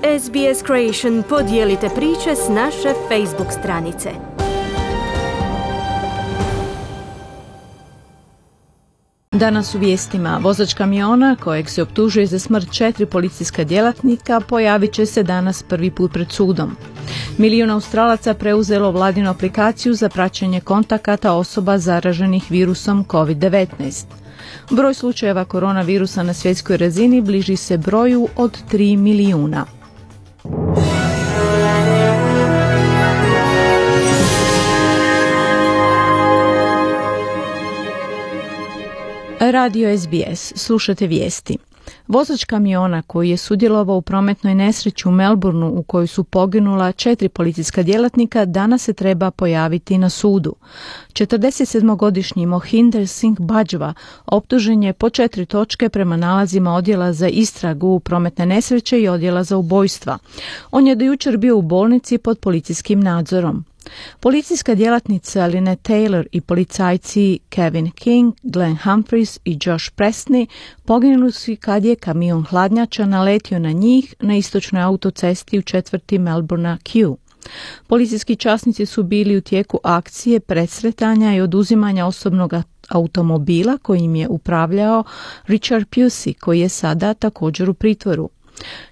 SBS Creation, podijelite priče s naše Facebook stranice. Danas u vijestima, vozač kamiona kojeg se optužuje za smrt 4 policijska djelatnika pojavit će se danas prvi put pred sudom. Milijun Australaca preuzelo vladinu aplikaciju za praćenje kontakata osoba zaraženih virusom COVID-19. Broj slučajeva koronavirusa na svjetskoj razini bliži se broju od 3 milijuna. Radio SBS, slušate vijesti. Vozač kamiona koji je sudjelovao u prometnoj nesreći u Melbourneu u kojoj su poginula 4 policijska djelatnika danas se treba pojaviti na sudu. 47-godišnji Mohinder Singh Bajwa optužen je po 4 točke prema nalazima odjela za istragu prometne nesreće i odjela za ubojstva. On je do jučer bio u bolnici pod policijskim nadzorom. Policijska djelatnica Lynette Taylor i policajci Kevin King, Glenn Humphries i Josh Presney poginuli su kad je kamion hladnjača naletio na njih na istočnoj autocesti u četvrti Melbournea Kew. Policijski časnici su bili u tijeku akcije presretanja i oduzimanja osobnog automobila kojim je upravljao Richard Pusey, koji je sada također u pritvoru.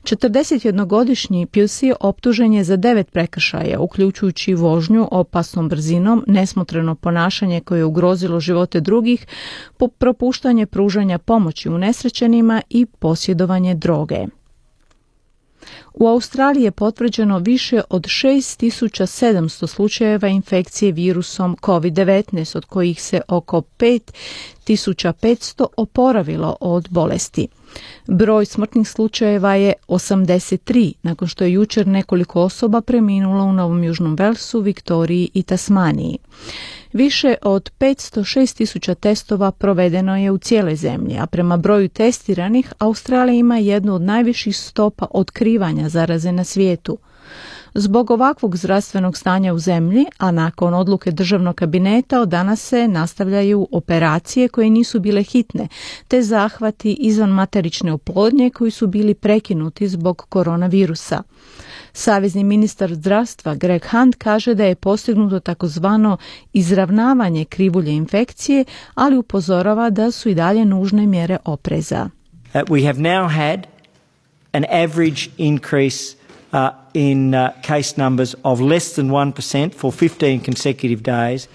41-godišnji Pusey optužen je za 9 prekršaja, uključujući vožnju opasnom brzinom, nesmotreno ponašanje koje je ugrozilo živote drugih, propuštanje pružanja pomoći unesrećenima i posjedovanje droge. U Australiji je potvrđeno više od 6700 slučajeva infekcije virusom COVID-19, od kojih se oko 5500 oporavilo od bolesti. Broj smrtnih slučajeva je 83, nakon što je jučer nekoliko osoba preminulo u Novom Južnom Velsu, Viktoriji i Tasmaniji. Više od 506.000 testova provedeno je u cijeloj zemlji, a prema broju testiranih Australija ima jednu od najviših stopa otkrivanja zaraze na svijetu. Zbog ovakvog zdravstvenog stanja u zemlji, a nakon odluke državnog kabineta od danas se nastavljaju operacije koje nisu bile hitne, te zahvati izvan materične oplodnje koji su bili prekinuti zbog koronavirusa. Savezni ministar zdravstva Greg Hunt kaže da je postignuto takozvano izravnavanje krivulje infekcije, ali upozorava da su i dalje nužne mjere opreza. We have now had an average increase in case numbers of less than 1% for 15 consecutive days.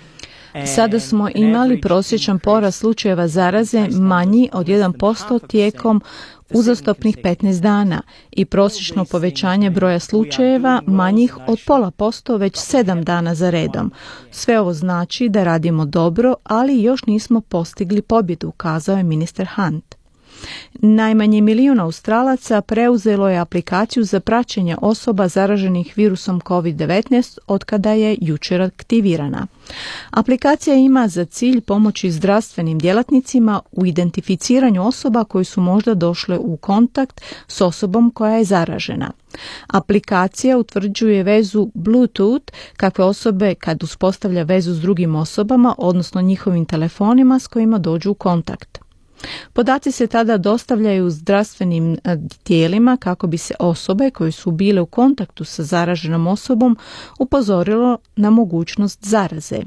Sada smo imali prosječan porast slučajeva zaraze manji od 1% tijekom uzastopnih 15 dana i prosječno povećanje broja slučajeva manjih od 0,5% već 7 dana za redom. Sve ovo znači da radimo dobro, ali još nismo postigli pobjedu, kazao je ministar Hunt. Najmanje milijun Australaca preuzelo je aplikaciju za praćenje osoba zaraženih virusom COVID-19 otkada je jučer aktivirana. Aplikacija ima za cilj pomoći zdravstvenim djelatnicima u identificiranju osoba koje su možda došle u kontakt s osobom koja je zaražena. Aplikacija utvrđuje vezu Bluetooth kakve osobe kad uspostavlja vezu s drugim osobama, odnosno njihovim telefonima s kojima dođu u kontakt. Podaci se tada dostavljaju zdravstvenim tijelima kako bi se osobe koje su bile u kontaktu sa zaraženom osobom upozorilo na mogućnost zaraze.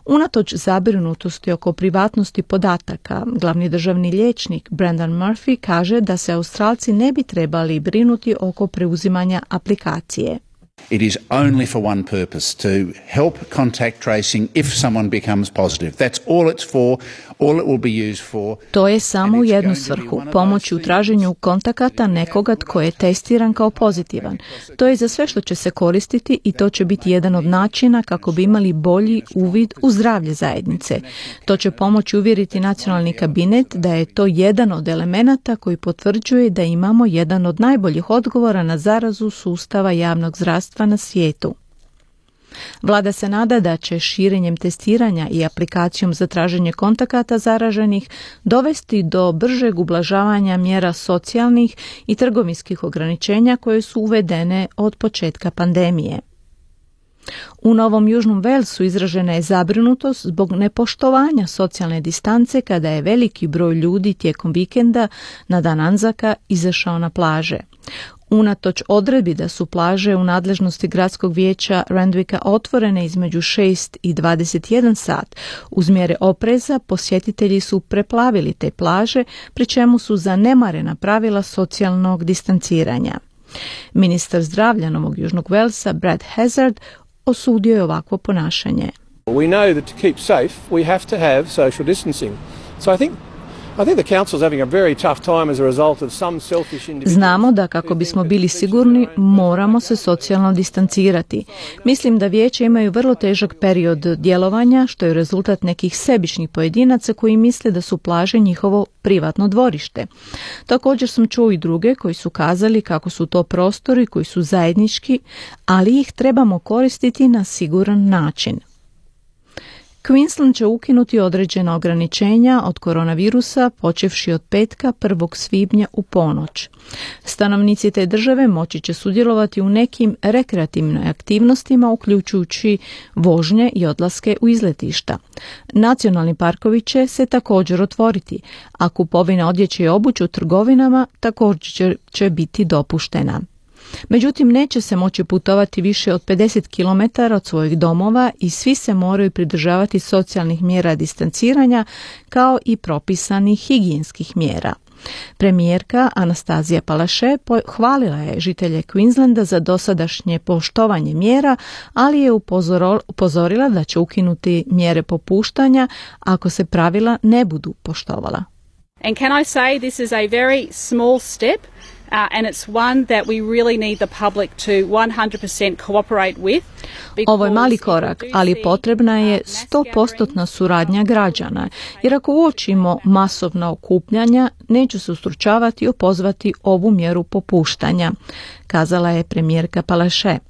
Unatoč zabrinutosti oko privatnosti podataka, glavni državni liječnik Brendan Murphy kaže da se Australci ne bi trebali brinuti oko preuzimanja aplikacije. It is only for one purpose, to help contact tracing if someone becomes positive. That's all it's for, all it will be used for. To je samo u jednu svrhu, pomoći u traženju kontakata nekoga tko je testiran kao pozitivan. To je za sve što će se koristiti i to će biti jedan od načina kako bi imali bolji uvid u zdravlje zajednice. To će pomoći uvjeriti nacionalni kabinet da je to jedan od elemenata koji potvrđuje da imamo jedan od najboljih odgovora na zarazu sustava javnog zdravstva na svijetu. Vlada se nada da će širenjem testiranja i aplikacijom za traženje kontakata zaraženih dovesti do bržeg ublažavanja mjera socijalnih i trgovinskih ograničenja koje su uvedene od početka pandemije. U Novom Južnom Velsu izražena je zabrinutost zbog nepoštovanja socijalne distance kada je veliki broj ljudi tijekom vikenda na dan Anzaka izašao na plaže. Unatoč odredbi da su plaže u nadležnosti gradskog vijeća Randwicka otvorene između 6 i 21 sat, uz mjere opreza posjetitelji su preplavili te plaže, pri čemu su zanemarena pravila socijalnog distanciranja. Ministar zdravlja Novog Južnog Walesa, Brad Hazzard, osudio je ovakvo ponašanje. We know that to keep safe, we have to have social distancing. So I think the council's having a very tough time as a result of some selfish individuals. Znamo da kako bismo bili sigurni, moramo se socijalno distancirati. Mislim da vijeće imaju vrlo težak period djelovanja, što je rezultat nekih sebičnih pojedinaca koji misle da su plaže njihovo privatno dvorište. Također sam čuo i druge koji su kazali kako su to prostori koji su zajednički, ali ih trebamo koristiti na siguran način. Queensland će ukinuti određena ograničenja od koronavirusa počevši od petka 1. svibnja u ponoć. Stanovnici te države moći će sudjelovati u nekim rekreativnim aktivnostima, uključujući vožnje i odlaske u izletišta. Nacionalni parkovi će se također otvoriti, a kupovina odjeće i obuće u trgovinama također će biti dopuštena. Međutim, neće se moći putovati više od 50 km od svojih domova i svi se moraju pridržavati socijalnih mjera distanciranja kao i propisanih higijenskih mjera. Premijerka Anastazija Palaszczuk hvalila je žitelje Queenslanda za dosadašnje poštovanje mjera, ali je upozorila da će ukinuti mjere popuštanja ako se pravila ne budu poštovala. And can I say this is a very small step and it's one that we really need the public to 100% cooperate with. Ovo je mali korak, ali potrebna je 100% suradnja građana, jer ako uočimo masovna okupljanja, neću se ustručavati i opozvati ovu mjeru popuštanja, kazala je premijerka Palaszczuk.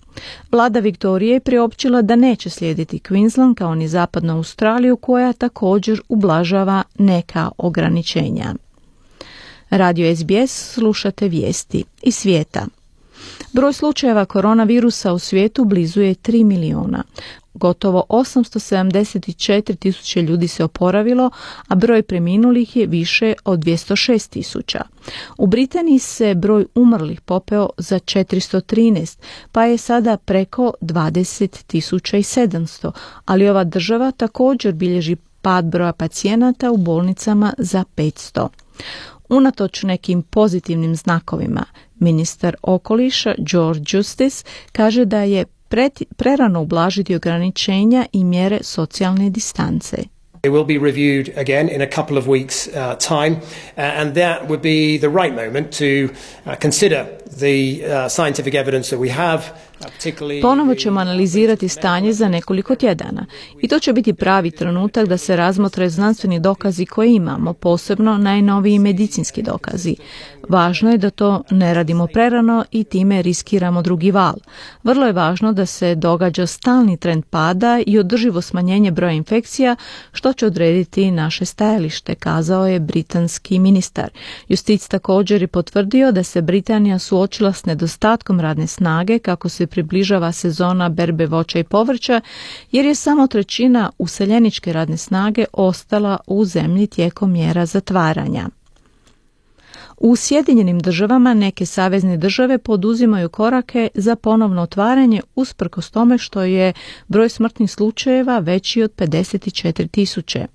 Vlada Viktorije je priopćila da neće slijediti Queensland kao ni zapadnu Australiju koja također ublažava neka ograničenja. Radio SBS, slušate vijesti iz svijeta. Broj slučajeva koronavirusa u svijetu blizu je 3 miliona. Gotovo 874.000 ljudi se oporavilo, a broj preminulih je više od 206.000. U Britaniji se broj umrlih popeo za 413, pa je sada preko 20.700, ali ova država također bilježi pad broja pacijenata u bolnicama za 500. Unatoč nekim pozitivnim znakovima, ministar okoliša George Justice kaže da je prerano ublažiti ograničenja i mjere socijalne distance. It will be reviewed again in a couple of weeks' time, and that would be the right moment to consider the scientific evidence that we have. Ponovo ćemo analizirati stanje za nekoliko tjedana i to će biti pravi trenutak da se razmotre znanstveni dokazi koje imamo, posebno najnoviji medicinski dokazi. Važno je da to ne radimo prerano i time riskiramo drugi val. Vrlo je važno da se događa stalni trend pada i održivo smanjenje broja infekcija, što će odrediti naše stajalište, kazao je britanski ministar. Justice također je potvrdio da se Britanija suočila s nedostatkom radne snage kako se približava sezona berbe voća i povrća, jer je samo 1/3 useljeničke radne snage ostala u zemlji tijekom mjera zatvaranja. U Sjedinjenim državama neke savezne države poduzimaju korake za ponovno otvaranje usprkos tome što je broj smrtnih slučajeva veći od 54.000.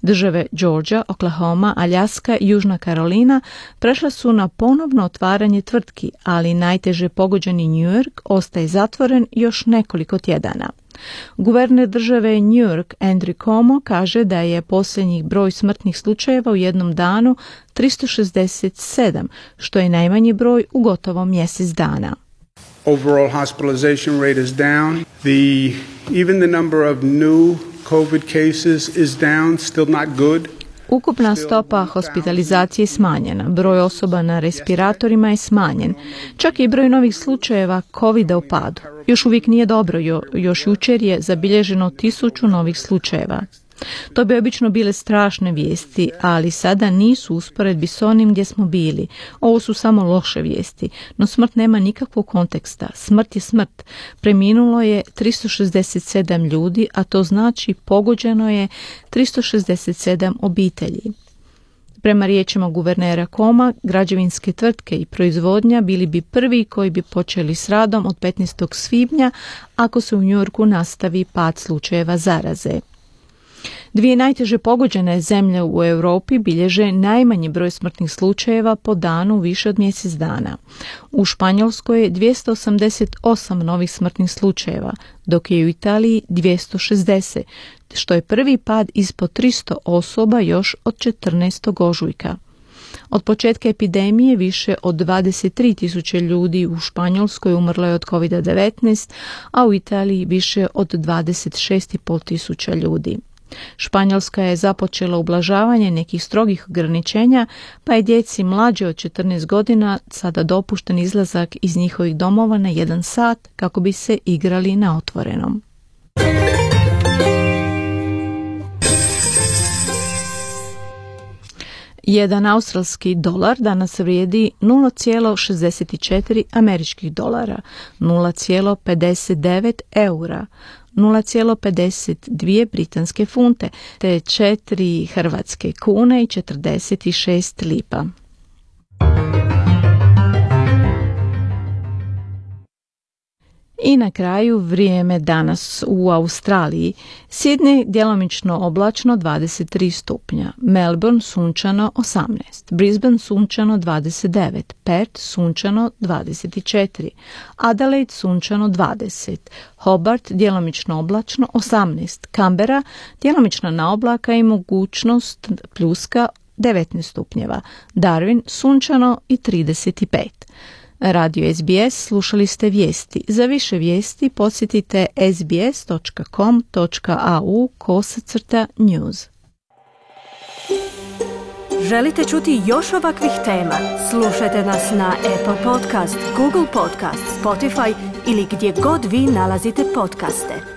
Države Georgia, Oklahoma, Aljaska i Južna Karolina prešla su na ponovno otvaranje tvrtki, ali najteže pogođeni New York ostaje zatvoren još nekoliko tjedana. Guverner države New York Andrew Cuomo kaže da je posljednjih broj smrtnih slučajeva u jednom danu 367, što je najmanji broj u gotovo mjesec dana. Overall hospitalization rate is down. Even the number of new COVID cases is down, still not good. Ukupna stopa hospitalizacije je smanjena, broj osoba na respiratorima je smanjen, čak i broj novih slučajeva COVID-a u padu. Još uvijek nije dobro, još jučer je zabilježeno 1000 novih slučajeva. To bi obično bile strašne vijesti, ali sada nisu usporedbi s onim gdje smo bili. Ovo su samo loše vijesti, no smrt nema nikakvog konteksta. Smrt je smrt. Preminulo je 367 ljudi, a to znači pogođeno je 367 obitelji. Prema riječima guvernera Koma, građevinske tvrtke i proizvodnja bili bi prvi koji bi počeli s radom od 15. svibnja ako se u Njujorku nastavi pad slučajeva zaraze. Dvije najteže pogođene zemlje u Europi bilježe najmanji broj smrtnih slučajeva po danu više od mjesec dana. U Španjolskoj je 288 novih smrtnih slučajeva, dok je u Italiji 260, što je prvi pad ispod 300 osoba još od 14. ožujka. Od početka epidemije više od 23.000 ljudi u Španjolskoj umrlo je od COVID-19, a u Italiji više od 26.500 ljudi. Španjolska je započela ublažavanje nekih strogih ograničenja, pa je djeci mlađe od 14 godina sada dopušten izlazak iz njihovih domova na 1 sat kako bi se igrali na otvorenom. Jedan australski dolar danas vrijedi 0,64 američkih dolara, 0,59 eura, 0,52 britanske funte, te 4 hrvatske kune i 46 lipa. I na kraju vrijeme danas u Australiji. Sydney djelomično oblačno 23 stupnja, Melbourne sunčano 18, Brisbane sunčano 29, Perth sunčano 24, Adelaide sunčano 20, Hobart djelomično oblačno 18, Canberra djelomično na oblaka i mogućnost pljuska 19 stupnjeva, Darwin sunčano i 35. Radio SBS, slušali ste vijesti. Za više vijesti posjetite sbs.com.au/news. Želite čuti još ovakvih tema? Slušajte nas na Apple Podcast, Google Podcast, Spotify ili gdje god vi nalazite podcaste.